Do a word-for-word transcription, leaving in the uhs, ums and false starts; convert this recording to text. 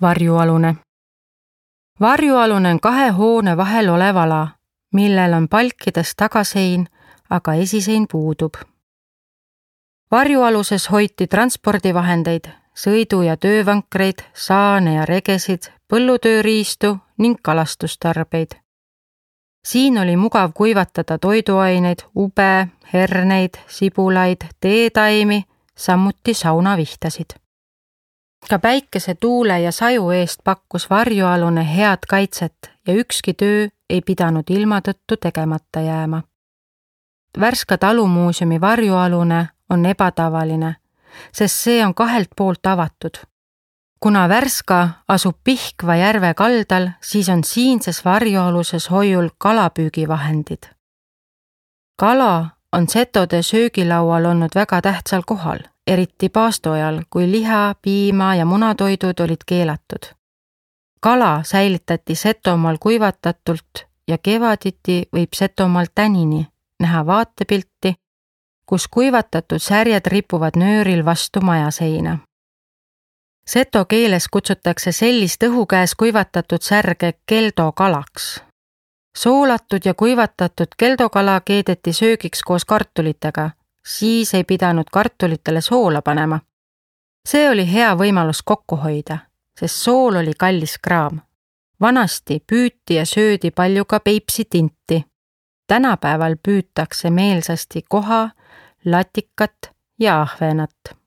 Varjualune. Varjualune on kahe hoone vahel olev ala, millel on palkides tagasein, aga esisein puudub. Varjualuses hoiti transpordivahendeid, sõidu- ja töövankreid, saane ja regesid, põllutööriistu ning kalastustarbeid. Siin oli mugav kuivatada toiduaineid, ube, herneid, sibulaid, teetaimi, samuti saunavihtasid. Ka päikese, tuule ja saju eest pakkus varjualune head kaitset ja ükski töö ei pidanud ilma tõttu tegemata jääma. Värska talumuuseumi varjualune on ebatavaline, sest see on kahelt poolt avatud. Kuna Värska asub Pihkva järve kaldal, siis on siinses varjualuses hoiul kalapüügivahendid. Kala on setode söögilaual olnud väga tähtsal kohal, eriti paastoajal, kui liha, piima ja munatoidud olid keelatud. Kala säilitati Setomaal kuivatatult ja kevaditi võib Setomaal tänini näha vaatepilti, kus kuivatatud särjed ripuvad nööril vastu majaseina. Seto keeles kutsutakse sellist õhukäes kuivatatud särge keldokalaks. Soolatud ja kuivatatud keldokala keedeti söögiks koos kartulitega, siis ei pidanud kartulitele soola panema. See oli hea võimalus kokku hoida, sest sool oli kallis kraam. Vanasti püüti ja söödi palju ka Peipsi tinti. Tänapäeval püütakse meelsasti koha, latikat ja ahvenat.